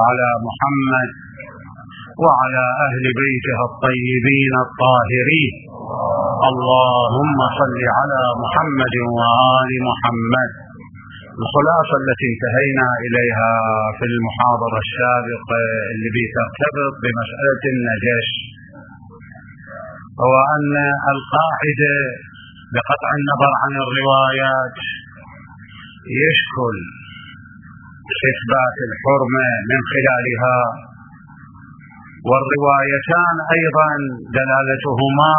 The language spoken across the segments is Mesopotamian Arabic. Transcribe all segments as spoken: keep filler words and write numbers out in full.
على محمد وعلى أهل بيته الطيبين الطاهرين. اللهم صل على محمد وآل محمد. الخلاصة التي انتهينا إليها في المحاضرة السابقة اللي بترتبط بمسألة النجش هو أن القاعدة بقطع النظر عن الروايات يشكل إثبات الحرمة من خلالها، والروايتان أيضا دلالتهما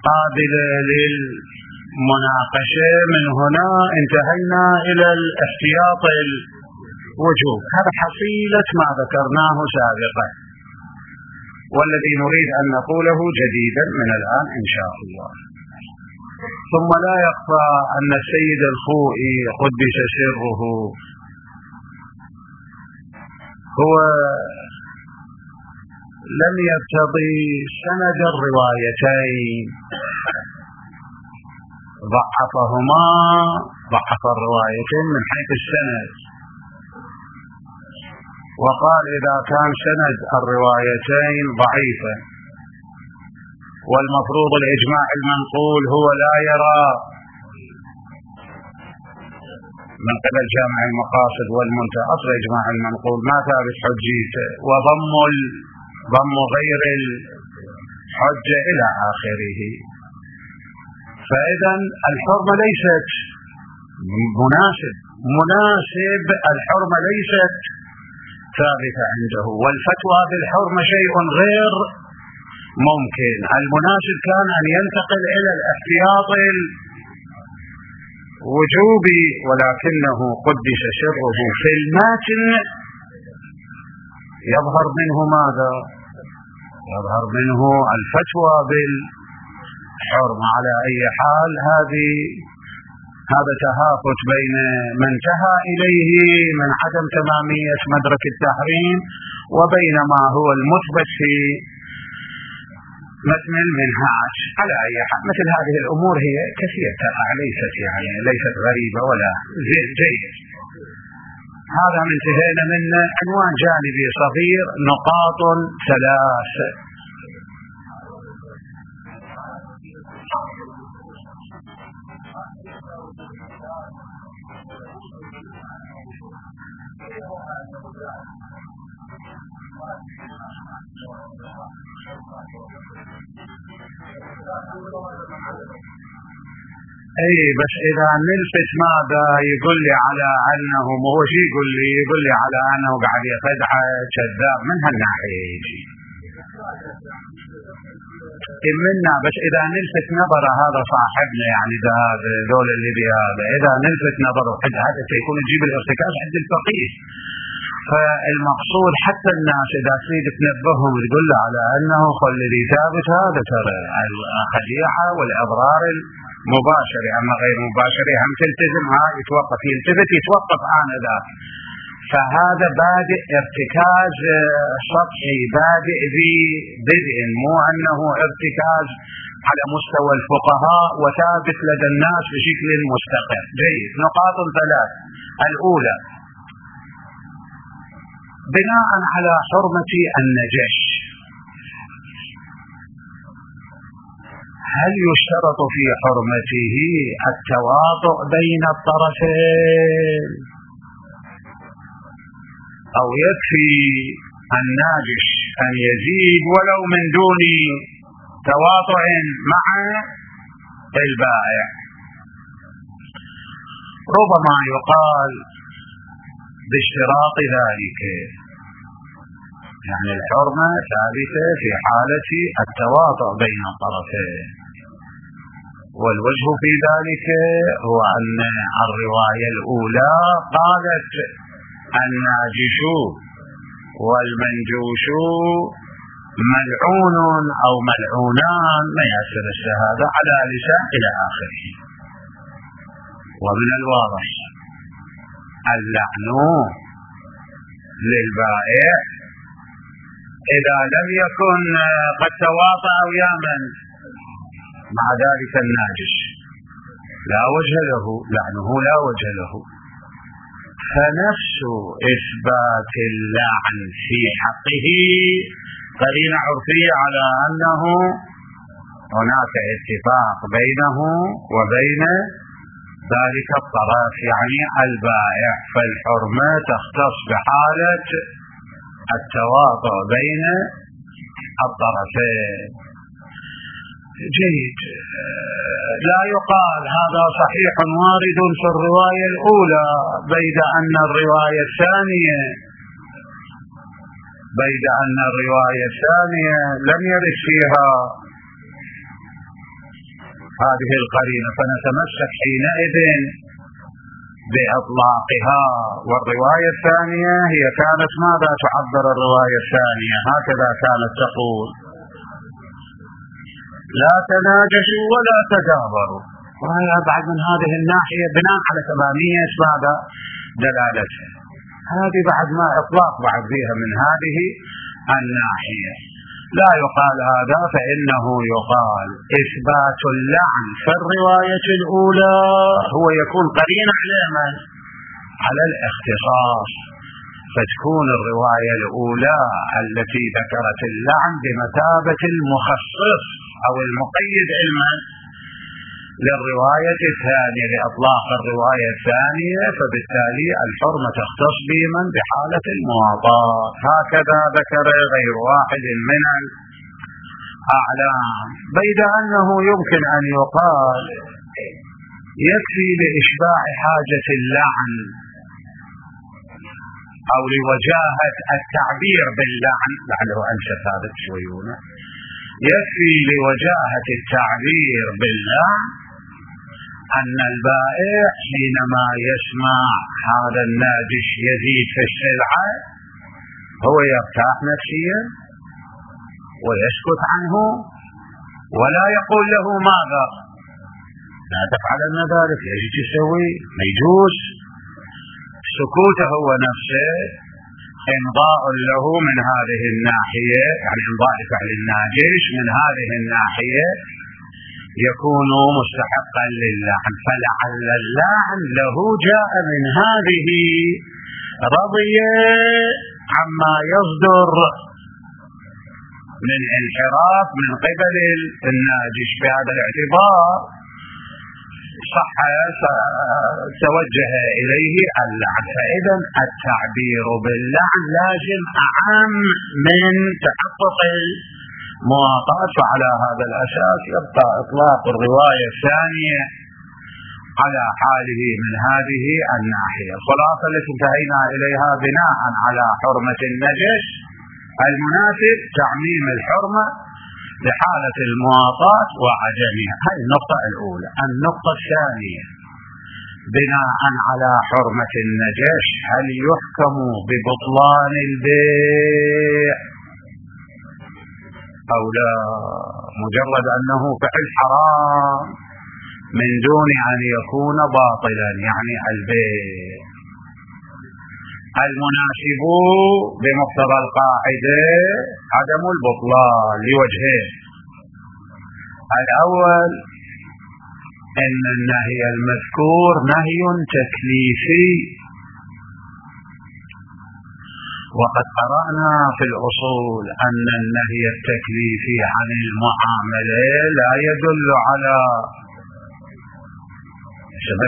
قابلة للمناقشة. من هنا انتهينا إلى الاحتياط الوجوب. هذا حصيلة ما ذكرناه سابقا، والذي نريد أن نقوله جديدا من الآن إن شاء الله. ثم لا يخفى أن السيد الخوئي قدس سره هو لم يرتضي سند الروايتين، ضعفهما، ضعف الروايتين من حيث السند، وقال إذا كان سند الروايتين ضعيفا والمفروض الإجماع المنقول هو لا يرى من قبل جامع المقاصد والمنتهى أصل إجماع المنقول ما ثابت حجيته، وضم ضم غير الحجة إلى آخره. فإذا الحرمة ليست مناسب مناسب الحرمة ليست ثابتة عنده، والفتوى بالحرمة شيء غير ممكن. المناسب كان أن ينتقل إلى الاحتياط الوجوبي، ولكنه قدس سره في الماتن يظهر منه ماذا؟ يظهر منه الفتوى بالحرمة. على أي حال هذه هذا تهافت بين من انتهى إليه من عدم تمامية مدرك التحريم وبين ما هو المثبت في متن المنهاج. على أي حال مثل هذه الأمور هي كثيرة، ليست يعني ليست غريبة ولا جيد. هذا من انتهينا من عنوان جانبي صغير، نقاط ثلاث. اي بس اذا نلفت ماذا يقول لي على انه مو هو شيء يقول لي يقول لي على انه قاعد يخدع كذاب من هالناحيه يجي منا. بس اذا نلفت نظر هذا صاحبنا يعني ده دول اللي بهذا، اذا نلفت نظره حتى هذا سيكون يجيب الارتكاز عند الفقيه. فالمقصود حتى الناس اذا تريد تنبههم تقول له على انه خل لي ثابت هذا ترى الخديعه والاضرار المباشره، اما غير مباشره هم تلتزم ها يتوقف يلتفت يتوقف آنذاك. فهذا بادئ ارتكاز سطحي بادئ ببدء، مو انه ارتكاز على مستوى الفقهاء وثابت لدى الناس بشكل مستقر. جيد. نقاط ثلاث. الاولى بناء على حرمة النجش، هل يشترط في حرمته التواطؤ بين الطرفين أو يكفي الناجش أن يزيد ولو من دون تواطؤ مع البائع؟ ربما يقال باشتراط ذلك، يعني الحرمة ثابتة في حالة التواطؤ بين الطرفين، والوجه في ذلك هو أن الرواية الأولى قالت الناجش والمنجوش ملعون أو ملعونان ما يأثر الشهادة على لسان إلى آخره. ومن الواضح اللعن للبائع إذا لم يكن قد تواطأ ويا من مع ذلك الناجش لا وجه له، لعنه لا وجه له. فنفس إثبات اللعن في حقه قرينة عرفية على أنه هناك اتفاق بينه وبين ذلك الطرف، يعني البائع، فالحرمة تختص بحالة التواطؤ بين الطرفين. جيد. لا يقال هذا صحيح وارد في الرواية الأولى بيد أن الرواية الثانية بيد أن الرواية الثانية لم يرد فيها هذه القرينة، فنتمسك حينئذ بإطلاقها. والرواية الثانية هي كانت ماذا تعبر الرواية الثانية؟ هكذا كانت تقول: لا تناجشوا ولا تدابروا. وهي بعد من هذه الناحية بناء على تمامية ماذا دلالتها، هذه بعد ما إطلاق بعد فيها من هذه الناحية. لا يقال هذا، فإنه يقال إثبات اللعن في الرواية الأولى هو يكون قرينة على من؟ على الاختصاص، فتكون الرواية الأولى التي ذكرت اللعن بمثابة المخصص أو المقيد علما للرواية الثانية لإطلاق الرواية الثانية، فبالتالي الحرمة تختص بمن؟ بحالة المواطاة. هكذا ذكر غير واحد من الأعلام، بيد أنه يمكن أن يقال يكفي لإشباع حاجة اللعن أو لوجاهة التعبير باللعن، لعله أنشف هذا شويونه، يكفي لوجاهة التعبير باللعن أن البائع حينما يسمع هذا الناجش يزيد في السلعة هو يرتاح نفسيا ويسكت عنه ولا يقول له ماذا؟ لا تفعلن ذلك، يجي تسوي، ما يجوز. سكوته هو نفسه إمضاء له من هذه الناحية، يعني إمضاء فعل الناجش من هذه الناحية يكون مستحقا للعن، فلعل اللعن له جاء من هذه رضي عما يصدر من انحراف من قبل الناجش. بهذا الاعتبار صح توجه إليه اللعن. فإذا التعبير باللعن لازم أعم من تحقق المواطأة، فعلى هذا الأساس يبقى إطلاق الرواية الثانية على حاله من هذه الناحية. الخلاصة التي انتهينا إليها بناء على حرمة النجش المناسب تعميم الحرمة لحالة المواطاة وعدمها. هذه النقطة الأولى. النقطة الثانية بناء على حرمة النجش هل يحكم ببطلان البيع أو لا؟ مجرد أنه فعل حرام من دون أن يكون باطلا، يعني البيع المناسب بمقتضى القاعدة عدم البطلان لوجهين: الأول أن النهي المذكور نهي تكليفي، وقد قرأنا في الأصول أن النهي التكليفي عن المعاملة لا يدل على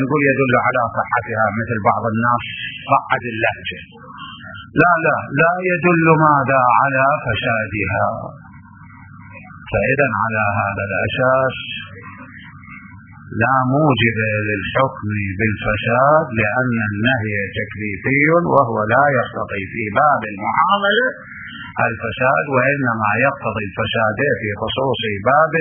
نقول يدل على صحتها مثل بعض الناس صعد اللهجة، لا لا لا يدل ماذا على فسادها. فإذا على هذا الأساس لا موجب للحكم بالفساد، لأن النهي تكليفي وهو لا يقتضي في باب المعاملة الفساد، وإنما يقتضي الفساد في خصوص باب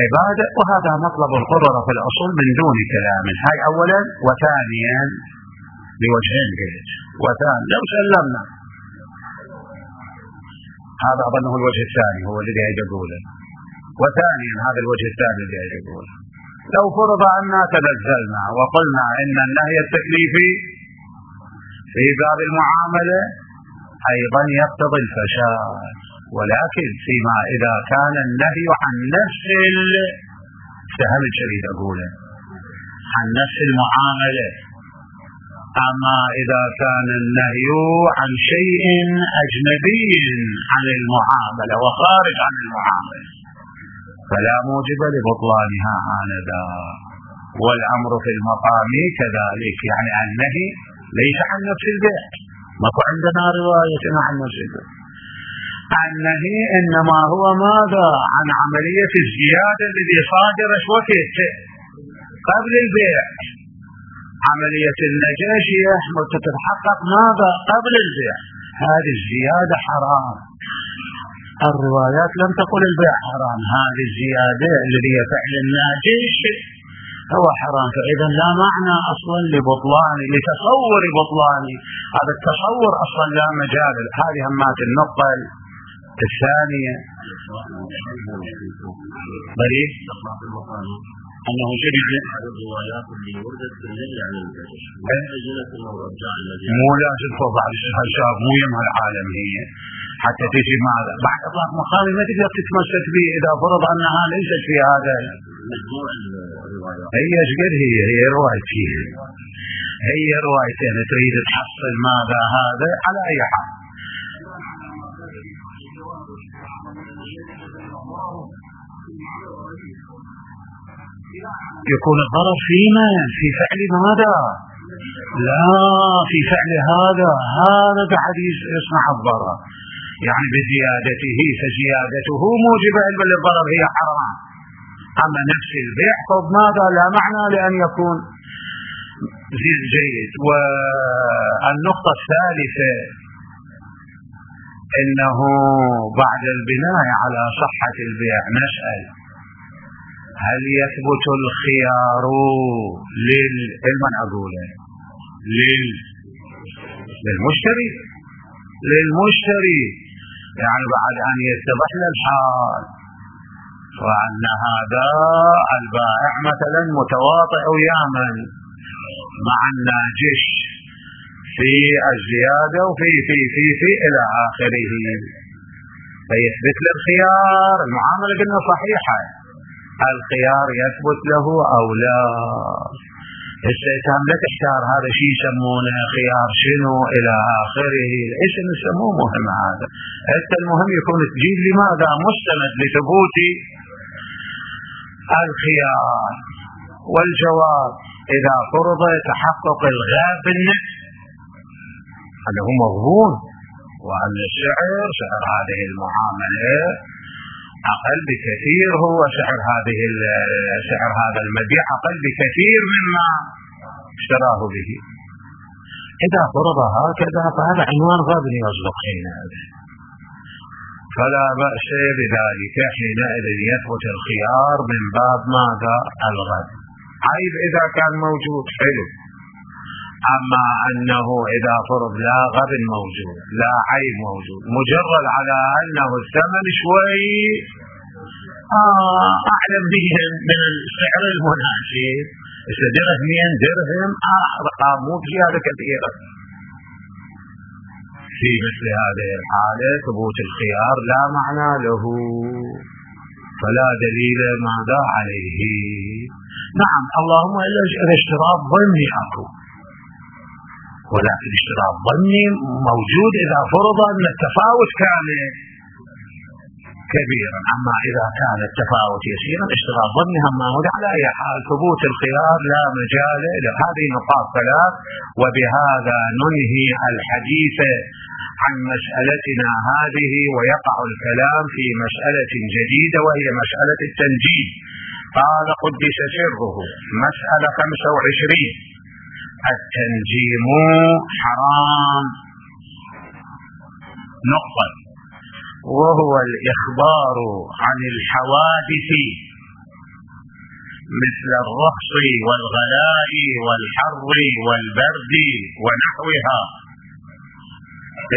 عبادة. وهذا مطلب القرر في الأصول من دون كلام. هاي أولا. وثانيا لوجهين جيد. وثانيا لو سلمنا هذا أظنه الوجه الثاني هو الذي يقوله. وثانيا هذا الوجه الثاني الذي يقوله لو فرض أننا تنزلنا وقلنا إن النهي التكليفي في باب المعاملة أيضا يقتضي الفساد، ولكن فيما إذا كان النهي عن نفس فهم الشريط أقوله عن نفس المعاملة أما إذا كان النهي عن شيء أجنبي عن المعاملة وخارج عن المعاملة فلا موجب لبطلانها آنذا. والأمر في المقام كذلك، يعني النهي ليس عن نفس البيع، ماكو عندنا رواية عن نفس البيع. النهي إنما هو ماذا؟ عن عملية الزيادة التي صادرت وقت قبل البيع. عملية النجاشية تتحقق ماذا؟ قبل البيع. هذه الزيادة حرام. الروايات لم تقل البيع حرام، هذه الزيادة التي هي فعل الناجش هو حرام. فإذا لا معنى أصلا لبطلان لتصور بطلان هذا التصور أصلا لا مجال. هذه همات النقطة الثانية بريء أنه شبه الروايات اللي وردت بالنهي عن النجش مو لازم توضع الشاب مو يمها العالم هي حتى تجي ماذا بعد إطلاق مقامي ما تقدر تتمسك به إذا فرض أنها ليست في هذا مجموع الروايات. هي شقد هي هي روايتين هي روايتين تريد تحصل ماذا هذا على أي حال. يكون الضرر فيما في فعل ماذا؟ لا في فعل هذا هذا بحديث يصنع الضرر يعني بزيادته، فزيادته موجبة للضرر هي حرام. أما نفس البيع طب ماذا لا معنى لأن يكون جيد. والنقطة الثالثة إنه بعد البناء على صحة البيع نسأل هل يثبت الخيار لمن أقوله لل... للمشتري للمشتري يعني بعد أن يتضح له الحال وأن هذا البائع مثلا متواطئ ويامن مع الناجش في الزيادة وفي في في في إلى آخره فيثبت له الخيار. المعاملة قلنا صحيحة، الخيار يثبت له أو لا. السيتام لا تحتار هذا شيء يسمونه خيار شنو إلى آخره، إيش نسموه مهم هذا. حتى المهم يكون تجيب لماذا مستند لثبوت الخيار. والجواب إذا فرض تحقق الغاب بالنفس هذا هو مضمون، وأن السعر سعر هذه المعاملة أقل بكثير، هو سعر هذه سعر هذا المبيع أقل بكثير مما اشتراه به. إذا فرض هكذا فهذا عنوان غابن يصدق حينئذ، فلا بأس بذلك. حينئذ يثبت الخيار من باب ماذا؟ الغد. عيب إذا كان موجود حلو، أما أنه إذا فرض لا غب موجود لا عيب موجود مجرد على أنه الثمن شوي آه أعلم به من السعر المناسب، درهمين درهم أرقام مو زيادة كثيرة. في مثل هذه الحالة ثبوت الخيار لا معنى له، فلا دليل ماذا عليه. نعم اللهم إلا الاشتراط ظني أكو، ولكن الاشتراط ظني موجود إذا فرض أن التفاوت كان كبيرا. أما إذا كان التفاوت يسيرا اشتراط ظني هم موجود. على أي حال ثبوت الخيار لا مجال لهذه نقاط ثلاث. وبهذا ننهي الحديث عن مسألتنا هذه، ويقع الكلام في مسألة جديدة وهي مسألة التنجيم. قال قدس سره مسألة خمسة وعشرين التنجيم حرام. نقطة، وهو الإخبار عن الحوادث مثل الرخص والغلاء والحر والبرد ونحوها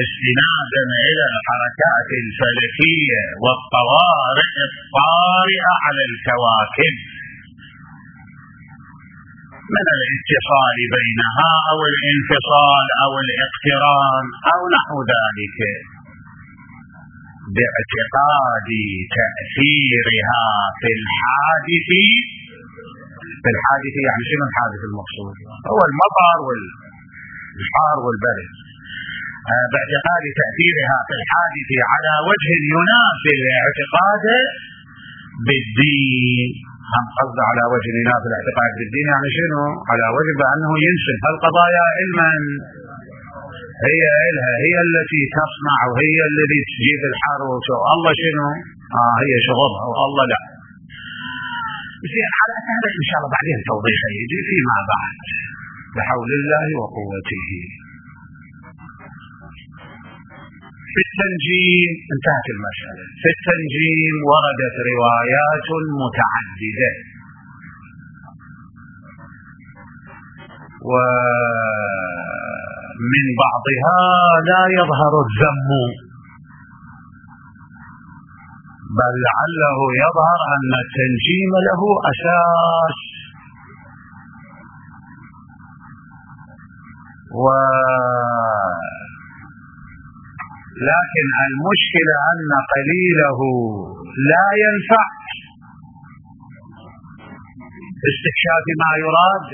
استنادا إلى الحركات الفلكية والطوارئ الطارئة على الكواكب من الاتصال بينها أو الانفصال أو الاقتران أو نحو ذلك، باعتقاد تأثيرها في الحادث. في الحادث يعني شنو الحادث المقصود؟ هو المطر وال الحار والبرد، باعتقاد تأثيرها في الحادث على وجه ينافي الاعتقاد بالدين. هم قصد على وجه ينافي الاعتقاد بالدين يعني شنو؟ على وجه بأنه ينسب هالقضايا علما هي إلها، هي التي تصنع وهي التي تجيب الحر وشو الله شنو؟ آه هي شغلها والله لا. زين، على هذا إن شاء الله بعدين توضيح يجي فيما بعد بحول الله وقوته. في التنجيم انتهت المسألة. في التنجيم وردت روايات متعددة، ومن بعضها لا يظهر الذم، بل لعله يظهر أن التنجيم له أساس، و لكن المشكلة أن قليله لا ينفع استكشاف ما يراد،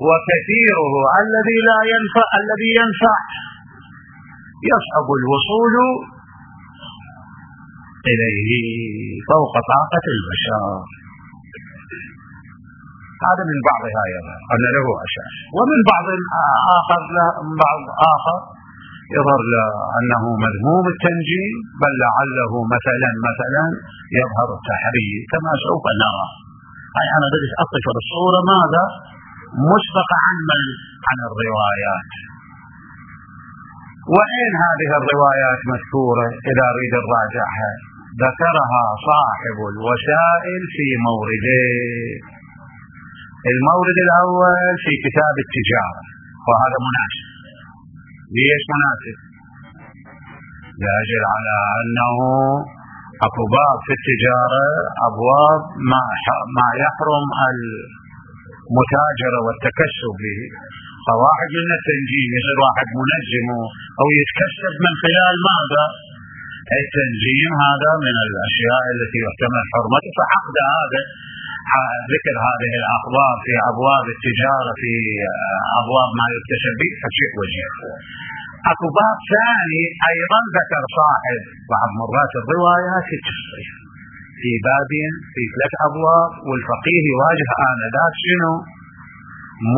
وكثيره الذي لا ينفع الذي ينفع يصعب الوصول إليه فوق طاقة البشر. هذا من بعضها يظهر أن له أساس، ومن بعض آخر من بعض آخر يظهر أنه مذموم التنجيم، بل لعله مثلا مثلا يظهر التحريم كما سوف نرى. هاي أنا بدي أطلق الصورة ماذا مسبقة عن من عن الروايات. وين هذه الروايات مذكورة؟ إذا أريد نراجعها، ذكرها صاحب الوسائل في موردين. المورد الأول في كتاب التجارة، وهذا مناسب. ليش مناسب؟ لاجل على أنه أكو باب في التجارة أبواب ما ما يحرم المتاجرة والتكسب به. فواحد من التنجيم يصير واحد منجم أو يتكسب من خلال ماذا؟ التنجيم. هذا من الأشياء التي يحتمل حرمته، فعقد هذا ذكر هذه الأخبار في أبواب التجارة في أبواب ما يكتسب به فشيء وجيه. أكو باب ثاني أيضا ذكر صاحب بعض مرات الروايات في التصريح في باب في ثلاث أبواب، والفقيه يواجه آنذاك شنو؟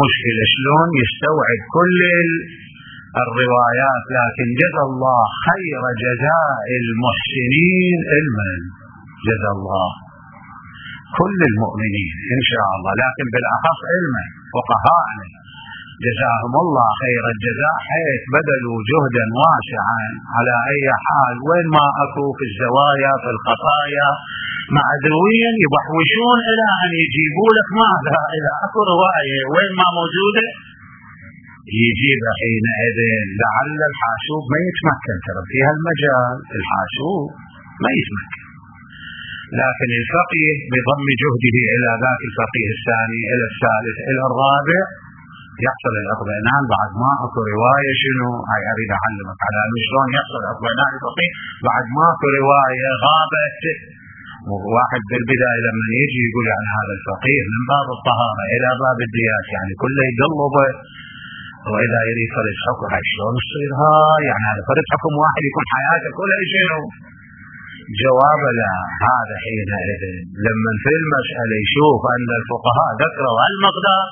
مشكلة شلون يستوعب كل الروايات. لكن جزا الله خير جزاء المحسنين علما، جزا الله كل المؤمنين إن شاء الله، لكن بالأخص علما فقهاءنا جزاهم الله خير الجزاء، حيث بذلوا جهدا واسعا. على أي حال وين ما أكو في الزوايا في الخطايا معدويا يبحوشون إلى أن يجيبوا لك ماذا؟ إلى أكو رواية وين ما موجودة يجيب حينئذ. لعل الحاسوب ما يتمكن، ترى في هالمجال الحاسوب ما يتمكن، لكن الفقيه بضم جهده إلى ذاك الفقيه الثاني إلى الثالث إلى الرابع يحصل الاطمئنان. بعد ما اكو روايه شنو هاي اريد اعلمك على شلون يحصل الاطمئنان الفقيه بعد ما اكو روايه غابت. واحد بالبدايه لما يجي يقول عن هذا الفقيه من باب الطهاره الى باب الديات يعني كله يقلبه، واذا يريد فرض حكم هاي شلون تصير هاي يعني هذا فرض حكم واحد يكون حياته كلها شنو؟ جواب لا. هذا حينئذ لما في المساله يشوف ان الفقهاء ذكروا المقدار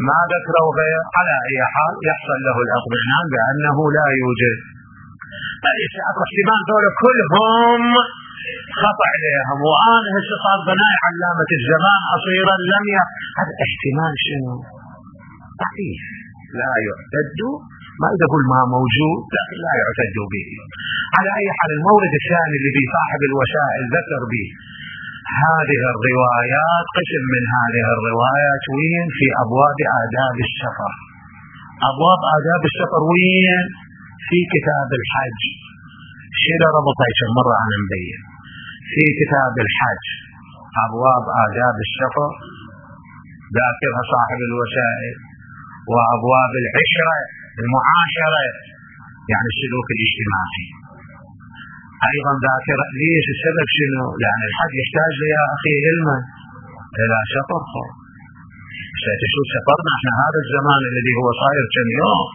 ما ذكروا غير، على أي حال يحصل له الاطمئنان بأنه لا يوجد. ليس أكو احتمال دول كلهم خطأ عليهم، وأنا هسه صار بناء علامة الزمان أصيرا لم ي... هذا احتمال شنو؟ ضعيف لا يعتد، ما إذا أقول ما موجود لكن لا يعتد به. على أي حال المورد الثاني الذي صاحب الوسائل ذكر به هذه الروايات، قسم من هذه الروايات وين؟ في أبواب آداب السفر. أبواب آداب السفر وين؟ في كتاب الحج. شيء ربطها كم مرة أنا مبين في كتاب الحج أبواب آداب السفر ذاكرها صاحب الوسائل، وأبواب العشرة المعاشرة يعني السلوك الاجتماعي أيضا ذاكر. ليش؟ السبب شنو؟ لأن الحج يحتاج يا أخي علما إلى سفر. شو سفرنا احنا هذا الزمان الذي هو صاير كم يوم،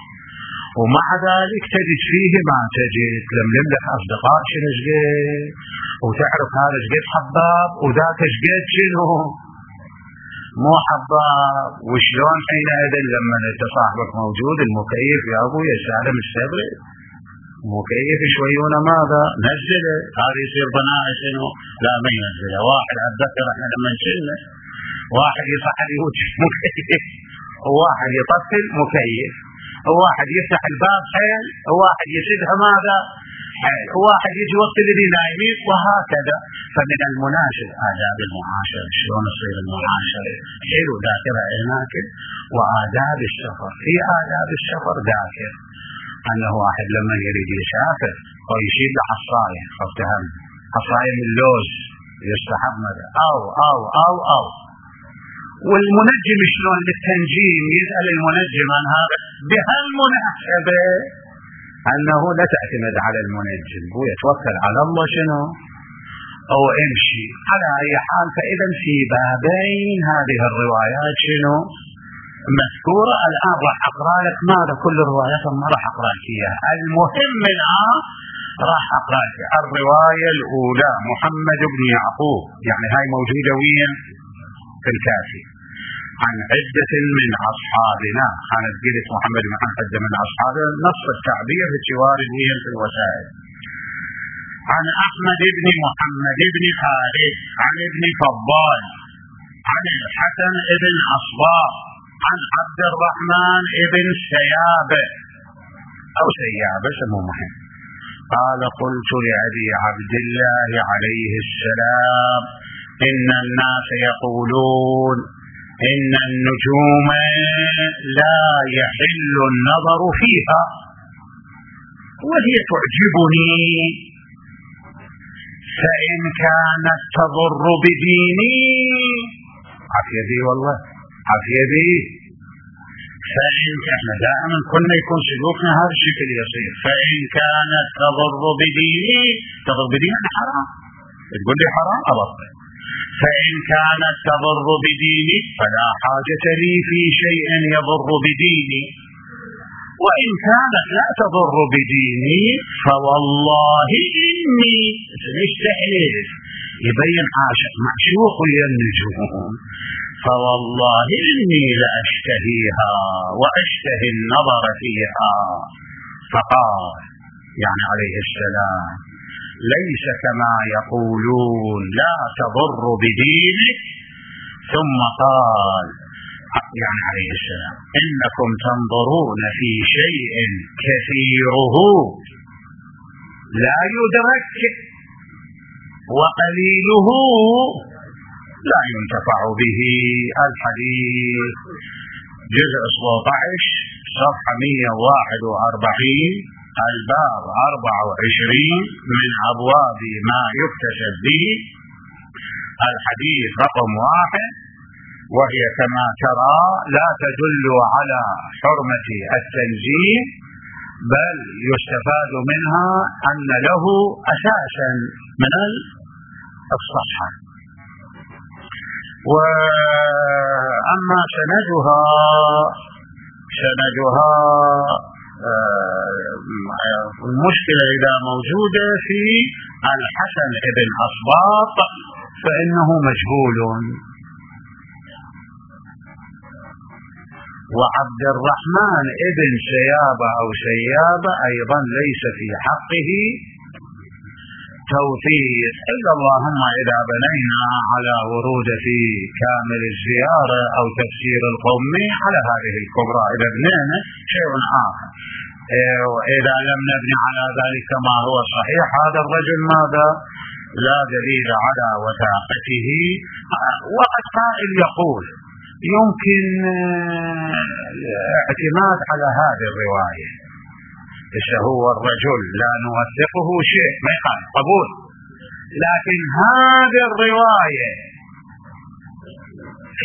ومع ذلك تجد فيه ما تجد، تلملم لك اصدقاء شنو شقد، وتعرف هذا شقد حباب وذاك شقد شنو مو حباب. وشلون حينئذ لما انت صاحبك موجود المكيف يا ابوي الساده مستبرد، مكيف شويونه ماذا نزله، هذا يصير بناء شنو لا ما ينزله. واحد اتذكر احنا لما نشلنا واحد يصحن يوت مكيف، وواحد يطفل مكيف، وواحد يفتح الباب حيل، وواحد يسدها ماذا حيل، وواحد يجي وقت الذي نايمين، وهكذا. فمن المناسب آداب المعاشرة، شلون تصير المعاشرة حلو ذاكرة هناك. وآداب السفر، في آداب السفر ذاكر أنه واحد لما يريد يسافر ويشيل له حصاية، فافتهم حصاية من اللوز يستحب ماذا أو أو أو أو والمنجم شلون بالتنجيم يسأل المنجم عن هذا بهالمناسبة أنه لا تعتمد على المنجم، هو يتوكل على الله شنو أو امشي على أي حال. فإذا في بابين هذه الروايات شنو مذكورة. الآن راح أقرأ لك ماذا كل الروايات ما راح أقرأ لك إياها، المهم الآن راح أقرأ لك الرواية الأولى محمد بن يعقوب، يعني هاي موجودة وين في الكافي، عن عدة من أصحابنا. أنا قلت محمد بن عدة من أصحابنا، نص التعبير في وارد وين في الوسائل. عن أحمد بن محمد بن خالد عن ابن فضال عن الحسن بن أصباغ عن عبد الرحمن بن سيابة أو سيابة سمو مهم قال قلت لأبي عبد الله عليه السلام إن الناس يقولون إن النجوم لا يحل النظر فيها وهي تعجبني، فإن كانت تضر بديني عافية بي والله عافية بي، فإن احنا دائما كنا يكون سلوكنا هذا الشكل يصير، فإن كانت تضر بديني، تضر بديني حرام، تقول لي حرام أبطل، فإن كانت تضر بديني فلا حاجة لي في شيء يضر بديني، وإن كانت لا تضر بديني فوالله إني يستحلف يبين عاشق معشوق للنجوم، فوالله إني لأشتهيها وأشتهي النظر فيها. فقال يعني عليه السلام ليس كما يقولون لا تضر بدينك، ثم قال يعني عليه السلام إنكم تنظرون في شيء كثيره لا يدرك وقليله لا ينتفع به. الحديث جزء سبعة عشر صفحة مئة وواحد وأربعين الباب أربعة وعشرين من أبواب ما يكتسب به، الحديث رقم واحد. وهي كما ترى لا تدل على حرمة التنزيه، بل يستفاد منها أن له أساسا من الصحة. وأما سندها سندها المشكلة إذا موجودة في الحسن بن أصباط فإنه مجهول، وعبد الرحمن ابن سيابة أو سيابة أيضا ليس في حقه توثيق، إلا اللهم إذا بنينا على ورود في كامل الزيارة أو تفسير القومي على هذه الكبرى إذا بنينا شيء آخر، وإذا لم نبني على ذلك ما هو صحيح هذا الرجل ماذا لا دليل على وثاقته. وقد قائل يقول يمكن الاعتماد على هذه الرواية، إذا هو الرجل لا نوثقه شيء ما يقال قبول، لكن هذه الرواية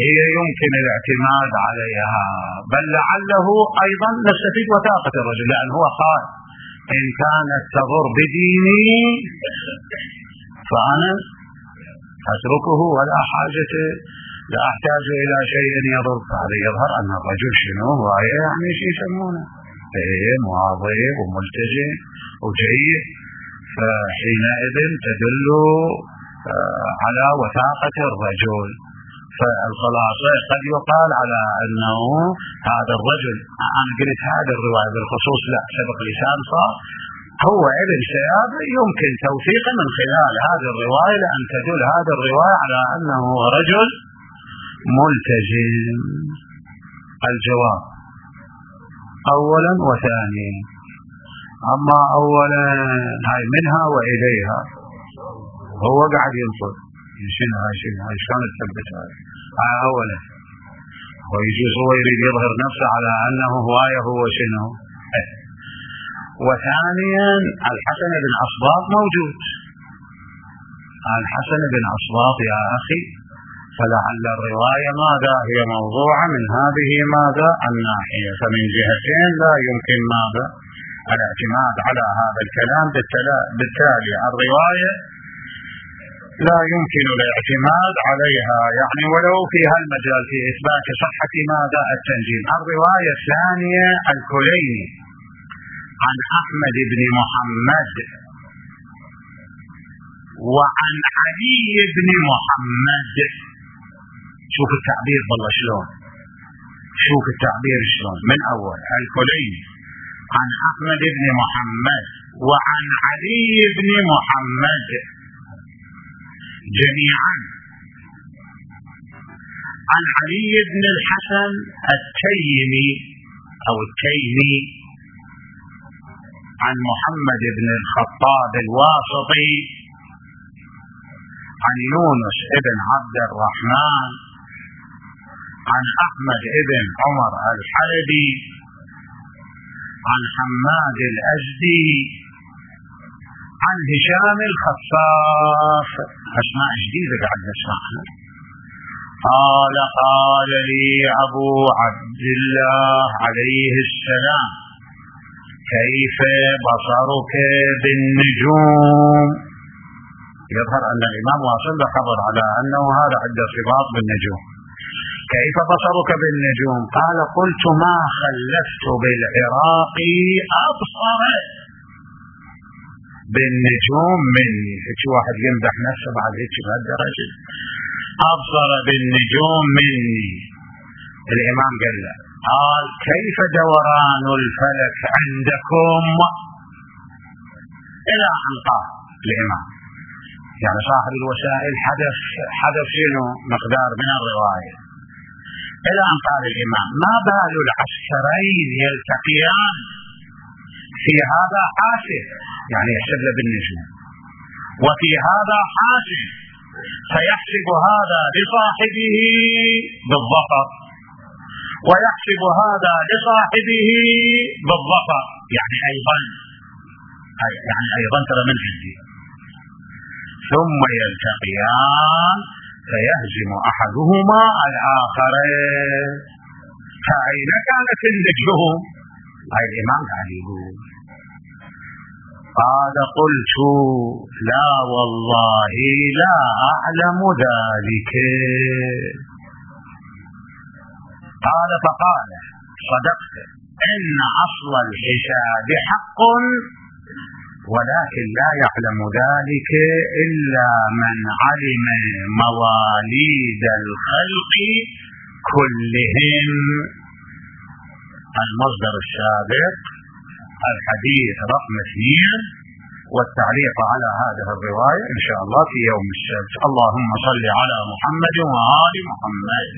هي يمكن الاعتماد عليها، بل لعله أيضا نستفيد وثاقة الرجل، لأن هو قال إن كانت تضر بديني فأنا أتركه ولا حاجة لا أحتاج إلى شيء يضر. هذا يظهر أن الرجل شنو هو يعني شيء يسمونه فهم واضح وملتزم وجيد، فحينئذ تدل على وثاقة الرجل. فالخلاصة قد يقال على أنه هذا الرجل، أنا قلت هذا الرواية بالخصوص لا سبق لسان صار هو ابن شهاب، يمكن توثيقه من خلال هذه الرواية لأن تدل هذه الرواية على أنه رجل ملتزم. الجواب أولا وثانيا. أما أولا هاي منها وإليها هو قاعد ينصر شنو هاي شنو هاي شلون تثبت هاي هاي أولا، ويجوز هو يريد يظهر نفسه على أنه هواية هو شنو. وثانيا الحسن بن أصباط موجود، الحسن بن أصباط يا أخي، فلعل الرواية ماذا هي موضوعة من هذه ماذا الناحية، فمن جهتين لا يمكن ماذا الاعتماد على هذا الكلام. بالتالي الرواية لا يمكن الاعتماد عليها يعني ولو في هالمجال في إثبات صحة ماذا التنجيم. الرواية الثانية الكليني عن أحمد بن محمد وعن علي بن محمد. شوف التعبير والله شلون، شوف التعبير شلون. من أول الكليني عن أحمد بن محمد وعن علي بن محمد جميعا عن علي بن الحسن التيمي أو التيمي عن محمد بن الخطاب الواسطي عن يونس بن عبد الرحمن عن أحمد بن عمر الحلبي عن حماد الأزدي عن هشام الخفاف. أسماء جديدة قاعد نسمعها. قال قال لي أبو عبد الله عليه السلام كيف بصرك بالنجوم. يظهر أن الإمام واصل خبر على أنه هذا عنده ارتباط بالنجوم. كيف بصرك بالنجوم؟ قال قلت ما خلفت بالعراق أبصر بالنجوم مني. هيك واحد يمدح نفسه بعد هيك بهالدرجة، أبصر بالنجوم مني. الإمام قال له قال كيف دوران الفلك عندكم؟ إلى أن قال الإمام يعني صاحب الوسائل حدث حدث شنو مقدار من الرواية، إلى أن قال الإمام ما بال العسكرين يلتقيان في هذا حاسب يعني يحسب له بالنجوم وفي هذا حاسب، فيحسب هذا لصاحبه بالظفر ويحسب هذا لصاحبه بالظفر يعني أيضا يعني أيضا ترى من عندي، ثم يلتقيان فيهزم أحدهما الآخر. فأين كانت النجوم؟ هاي الإمام قاعد يقول. قال قلت لا والله لا أعلم ذلك. قال فقال صدقت إن أصل الحساب حق ولكن لا يعلم ذلك إلا من علم مواليد الخلق كلهم. المصدر السابق الحديث رقم اثنين والتعليق على هذه الرواية إن شاء الله في يوم السبت. اللهم صل على محمد وآل محمد.